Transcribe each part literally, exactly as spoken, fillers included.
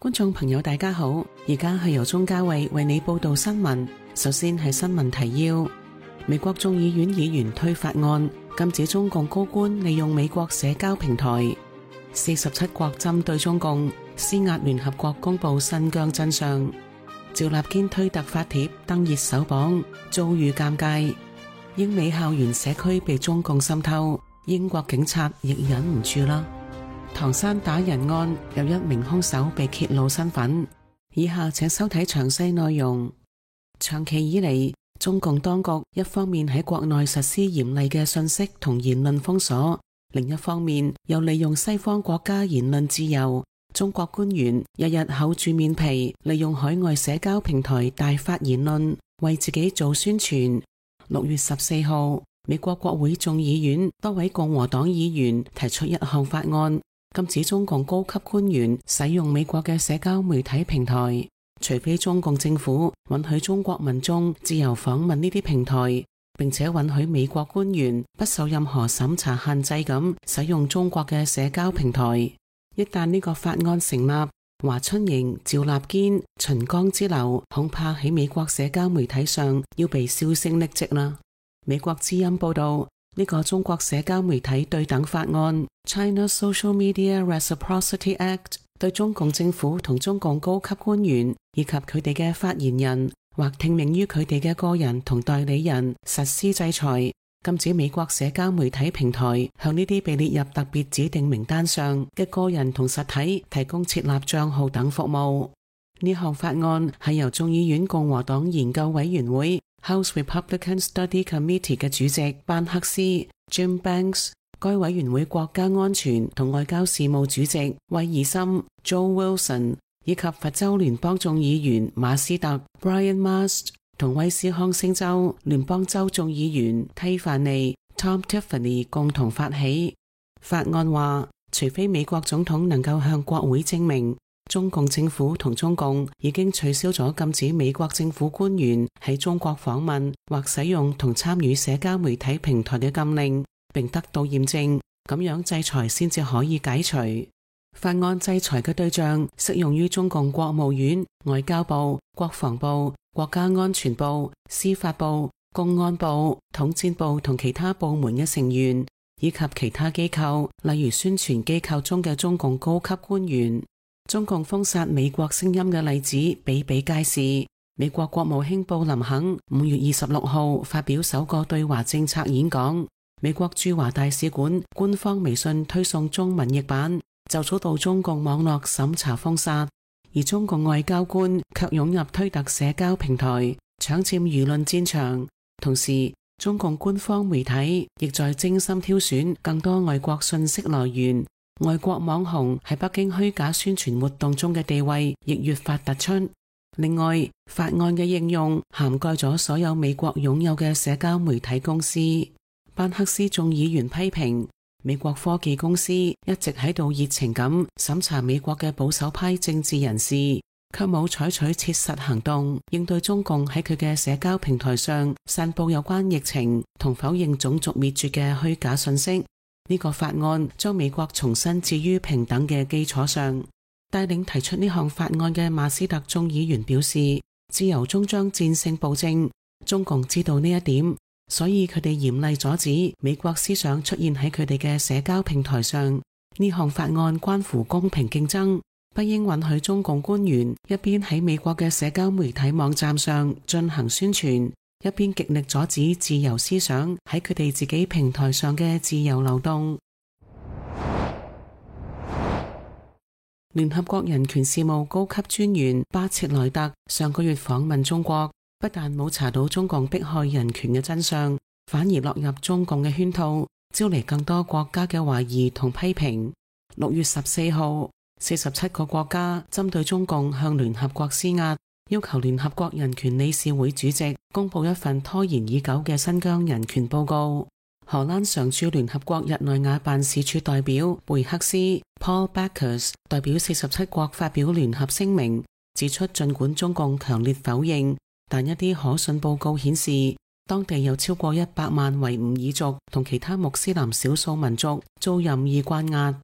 觀眾朋友大家好，而家係由鍾嘉慧為你報道新聞。首先係新聞提要：美國眾議院議員推法案，禁止中共高官利用美國社交平台。四十七國針對中共施壓，聯合國公布新疆真相。趙立堅推特發帖登熱搜榜，遭遇尷尬。英美校園社區被中共滲透，英國警察亦忍唔住啦。唐山打人案有一名兇手被揭露身份，以下請收睇詳細內容。長期以嚟，中共當局一方面喺國內實施嚴厲嘅信息同言論封鎖，另一方面又利用西方國家言論自由。中國官員日日厚住面皮，利用海外社交平台大發言論，為自己做宣傳。六月十四號，美國國會眾議院多位共和黨議員提出一項法案，禁止中共高級官員使用美國嘅社交媒體平台，除非中共政府允許中國民眾自由訪問呢啲平台，並且允許美國官員不受任何審查限制咁使用中國嘅社交平台。一旦呢個法案成立，華春瑩、趙立堅、秦剛之流恐怕喺美國社交媒體上要被銷聲匿跡啦。美國之音報道，呢個中國社交媒體對等法案 China Social Media Reciprocity Act 對中共政府同中共高級官員以及佢哋嘅發言人或聽命於佢哋嘅個人同代理人實施制裁，禁止美國社交媒體平台向呢啲被列入特別指定名單上嘅個人同實體提供設立賬號等服務。呢項法案係由眾議院共和黨研究委員會 House Republican Study Committee 嘅主席班克斯 Jim Banks、該委員會國家安全同外交事務主席威爾森 Joe Wilson 以及佛州聯邦眾議員馬斯特 Brian Mast 同威斯康星州聯邦州眾議員蒂凡尼 Tom Tiffany 共同發起。法案話，除非美國總統能夠向國會證明中共政府同中共已經取消咗禁止美國政府官員喺中國訪問或使用同參與社交媒體平台嘅禁令，並得到驗證，咁樣制裁先至可以解除。法案制裁嘅對象適用於中共國務院、外交部、國防部、國家安全部、司法部、公安部、統戰部同其他部門嘅成員，以及其他機構，例如宣傳機構中嘅中共高級官員。中共封殺美國聲音嘅例子比比皆是。美國國務卿布林肯五月二十六號發表首個對華政策演講，美國駐華大使館官方微信推送中文譯版，就遭到中共網絡審查封殺，而中共外交官卻湧入推特社交平台，搶佔輿論戰場。同時，中共官方媒體亦在精心挑選更多外國信息來源。外國網紅喺北京虛假宣傳活動中嘅地位亦越發突出。另外，法案嘅應用涵蓋咗所有美國擁有嘅社交媒體公司。班克斯眾議員批評美國科技公司一直喺度熱情咁審查美國嘅保守派政治人士，卻冇採取切實行動應對中共喺佢嘅社交平台上散布有關疫情同否認種族滅絕嘅虛假信息。呢個法案將美國重新置於平等嘅基礎上。帶領提出呢項法案嘅馬斯特眾議員表示，自由終將戰勝暴政。中共知道呢一點，所以佢哋嚴厲阻止美國思想出現喺佢哋嘅社交平台上。呢項法案關乎公平競爭，不應允許中共官員一邊喺美國嘅社交媒體網站上進行宣傳，一邊極力阻止自由思想喺佢哋自己平台上嘅自由流動。聯合國人權事務高級專員巴切萊特上個月訪問中國，不但冇查到中共迫害人權嘅真相，反而落入中共嘅圈套，招嚟更多國家嘅懷疑同批評。六月十四號，四十七個國家針對中共向聯合國施壓，要求聯合國人權理事會主席公布一份拖延已久嘅新疆人權報告。荷蘭常駐聯合國日內瓦辦事處代表貝克斯 Paul Backers 代表四十七國發表聯合聲明，指出盡管中共強烈否認，但一啲可信報告顯示，當地有超過一百萬維吾爾族同其他穆斯林少數民族遭任意關押。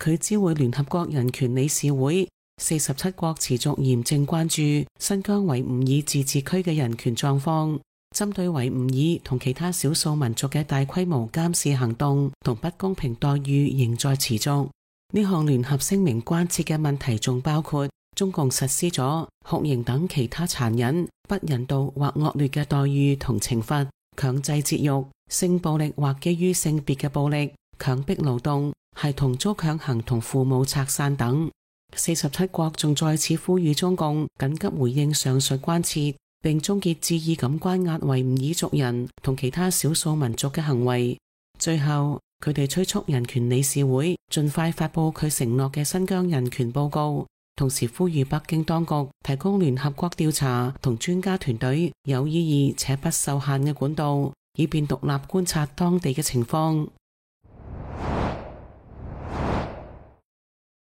佢知會聯合國人權理事會，四十七國持續嚴正關注新疆維吾爾自治區嘅人權狀況，針對維吾爾同其他少數民族嘅大規模監視行動同不公平待遇仍在持續。呢項聯合聲明關切嘅問題仲包括中共實施咗酷刑等其他殘忍、不人道或惡劣嘅待遇同懲罰，強制節育、性暴力或基於性別嘅暴力、強迫勞動、孩童遭強行同父母拆散等。四十七國仲再次呼籲中共緊急回應上述關切，並終結恣意咁關押維吾爾族人同其他少數民族嘅行為。最後，佢哋催促人權理事會盡快發佈佢承諾嘅新疆人權報告，同時呼籲北京當局提供聯合國調查同專家團隊有意義且不受限嘅管道，以便獨立觀察當地嘅情況。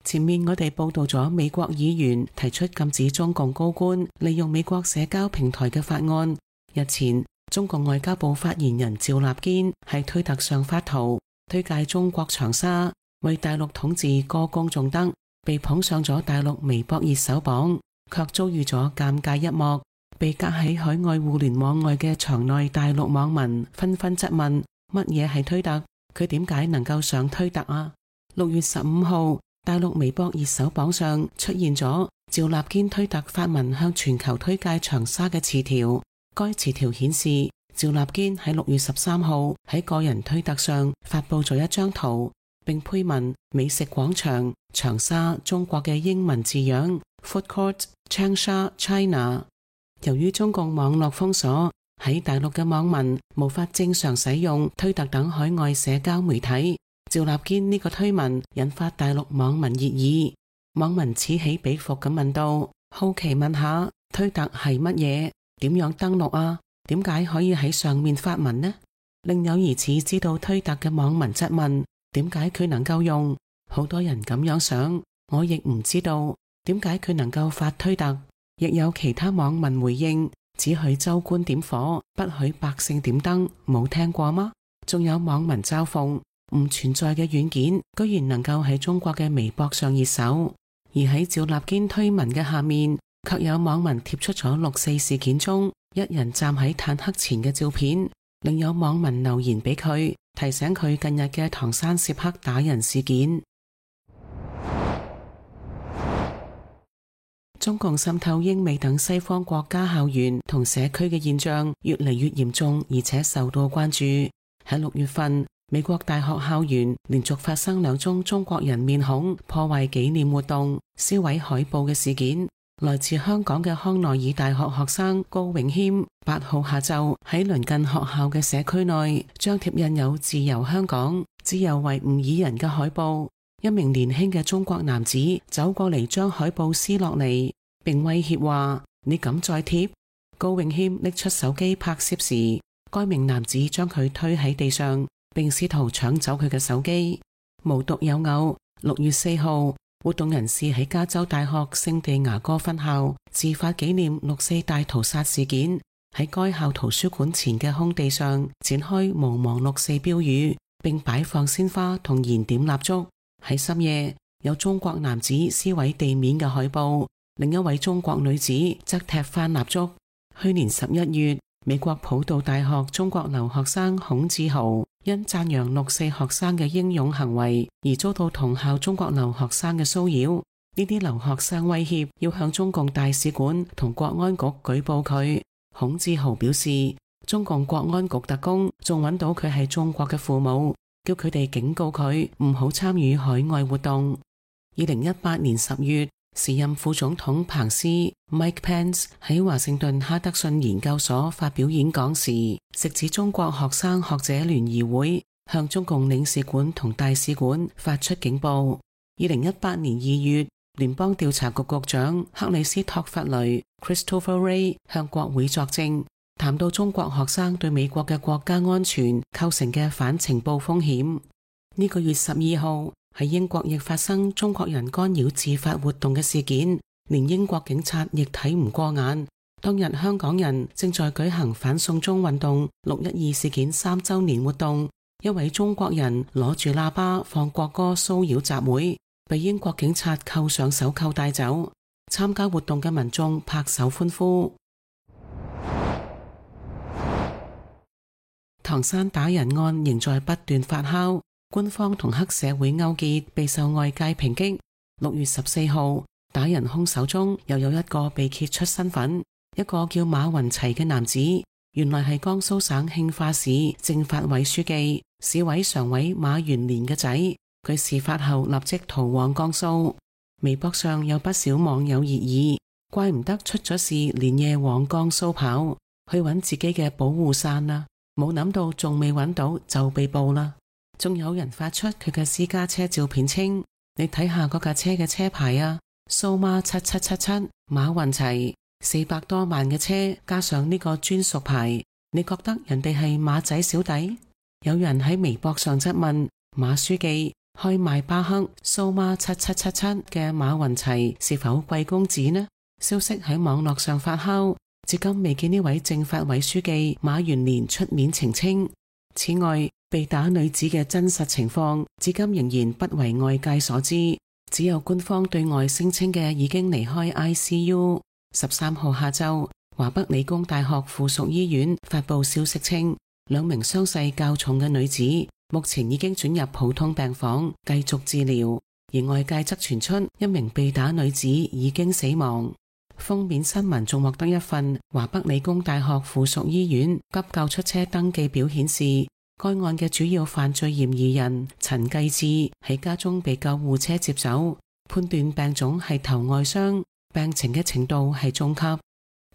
前面我哋報道咗美國議員提出禁止中共高官利用美國社交平台嘅法案。日前，中共外交部發言人趙立堅喺推特上發圖推介中國長沙為大陸統治歌功頌德，被捧上咗大陸微博熱搜榜，卻遭遇咗尷尬一幕。被隔喺海外互聯網外嘅場內大陸網民紛紛質問：乜嘢係推特？佢點解能夠上推特啊？六月十五號，大陸微博熱搜榜上出現咗趙立堅推特發文向全球推介長沙嘅詞條。該詞條顯示，趙立堅喺六月十三號喺個人推特上發佈咗一張圖，並配文美食廣場長沙中國嘅英文字樣 Food Court Changsha China。由於中共網絡封鎖，喺大陸嘅網民無法正常使用推特等海外社交媒體。趙立堅呢個推文引發大陸網民熱議，網民此起彼伏咁問道：好奇問下推特係乜嘢？點樣登錄啊？點解可以喺上面發文呢？另有疑似知道推特嘅網民質問：點解佢能夠用？好多人咁樣想，我亦唔知道點解佢能夠發推特。亦有其他網民回應：只許州官點火，不許百姓點燈，冇聽過嗎？仲有網民嘲諷唔存在嘅軟件居然能夠喺中國嘅微博上熱搜。而喺趙立堅推文嘅下面，卻有網民貼出咗六四事件中一人站喺坦克前嘅照片，另有網民留言俾佢，提醒佢近日嘅唐山涉黑打人事件。中共滲透英美等西方國家校園同社區嘅現象越嚟越嚴重，而且受到關注。喺六月份，美國大學校園連續發生兩宗中國人面孔破壞紀念活動、燒毀海報嘅事件。來自香港嘅康奈爾大學學生高永謙，八號下晝喺鄰近學校嘅社區內張貼印有自由香港、自由維吾爾人嘅海報。一名年輕嘅中國男子走過嚟，將海報撕落嚟，並威脅話：你敢再貼？高永謙拎出手機拍攝時，該名男子將佢推喺地上，並試圖搶走佢嘅手機。無獨有偶，六月四號，活動人士喺加州大學聖地牙哥分校自發紀念六四大屠殺事件，喺該校圖書館前嘅空地上展開毋忘六四標語，並擺放鮮花同燃點蠟燭。喺深夜，有中國男子撕毀地面嘅海報，另一位中國女子則踢翻蠟燭。去年十一月，美國普渡大學中國留學生孔志豪因讚揚六四學生嘅英勇行為而遭到同校中國留學生嘅騷擾。呢啲留學生威脅要向中共大使館同國安局舉報佢。孔志豪表示，中共國安局特工仲揾到佢係中國嘅父母，叫佢哋警告佢唔好參與海外活動。二零一八年十月，時任副總統彭斯 Mike Pence 喺華盛頓哈德遜研究所發表演講時，直指中國學生學者聯誼會向中共領事館同大使館發出警報。二零一八年二月，聯邦調查局局長克里斯托弗雷 Christopher Wray 向國會作證，談到中國學生對美國嘅國家安全構成嘅反情報風險。呢個月十二號，喺英國亦發生中國人干擾自發活動嘅事件，連英國警察亦睇唔過眼。當日香港人正在舉行反送中運動六一二事件三週年活動，一位中國人攞住喇叭放國歌騷擾集會，被英國警察扣上手銬帶走。參加活動嘅民眾拍手歡呼。唐山打人案仍在不斷發酵，官方同黑社會勾結備受外界抨擊。六月十四號，打人兇手中又有一個被揭出身份，一個叫馬雲齊嘅男子，原來係江蘇省慶化市政法委書記、市委常委馬元年嘅仔。佢事發後立即逃往江蘇。微博上有不少網友熱議，怪唔得出咗事連夜往江蘇跑去揾自己嘅保護傘啦，冇諗到仲未揾到就被捕啦。仲有人發出佢嘅私家車照片稱，你睇下嗰架車嘅車牌啊，蘇媽七七七七馬雲齊，四百多萬嘅車加上呢個專屬牌，你覺得人哋係馬仔小弟？有人喺微博上質問馬書記，開邁巴赫蘇媽七七七七嘅馬雲齊是否貴公子呢？消息喺網絡上發酵，至今未見呢位政法委書記馬元年出面澄清。此外，被打女子嘅真實情況至今仍然不為外界所知，只有官方對外聲稱嘅已經離開 I C U。十三號下晝，華北理工大學附屬醫院發布消息稱，兩名傷勢較重嘅女子目前已經轉入普通病房繼續治療，而外界則傳出一名被打女子已經死亡。封面新聞仲獲得一份華北理工大學附屬醫院急救出車登記表，顯示該案嘅主要犯罪嫌疑人陳繼志喺家中被救護車接走，判斷病種係頭外傷，病情嘅程度係中級，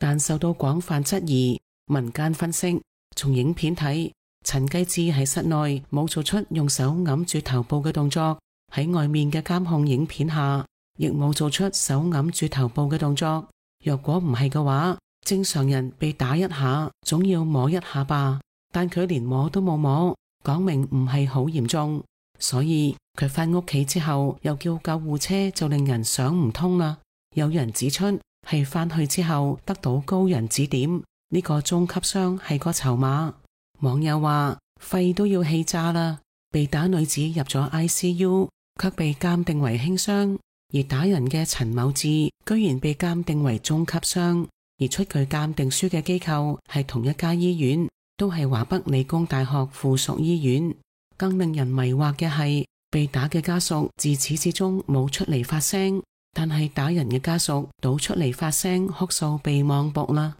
但受到廣泛質疑。民間分析，從影片睇，陳繼志喺室內冇做出用手揞住頭部嘅動作，喺外面嘅監控影片下亦冇做出手揞住頭部嘅動作。若果唔係嘅話，正常人被打一下總要摸一下吧，但佢連摸都冇摸，講明唔係好嚴重。所以佢返屋企之後又叫救護車，就令人想唔通啦。有人指出係返去之後得到高人指點，呢個中級傷係個籌碼。網友話肺都要氣炸啦，被打女子入咗 I C U 卻被鑑定為輕傷，而打人嘅陳某志居然被鑑定為中級傷，而出具鑑定書嘅機構係同一家醫院，都係華北理工大學附屬醫院。更令人迷惑嘅係，被打嘅家屬自始至終冇出嚟發聲，但係打人嘅家屬倒出嚟發聲哭訴被網暴啦。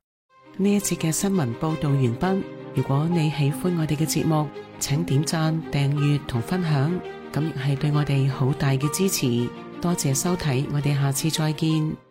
呢一節嘅新聞報道完畢。如果你喜歡我哋嘅節目，請點讚、訂閱同分享，咁亦係對我哋好大嘅支持。多謝收睇，我哋下次再見。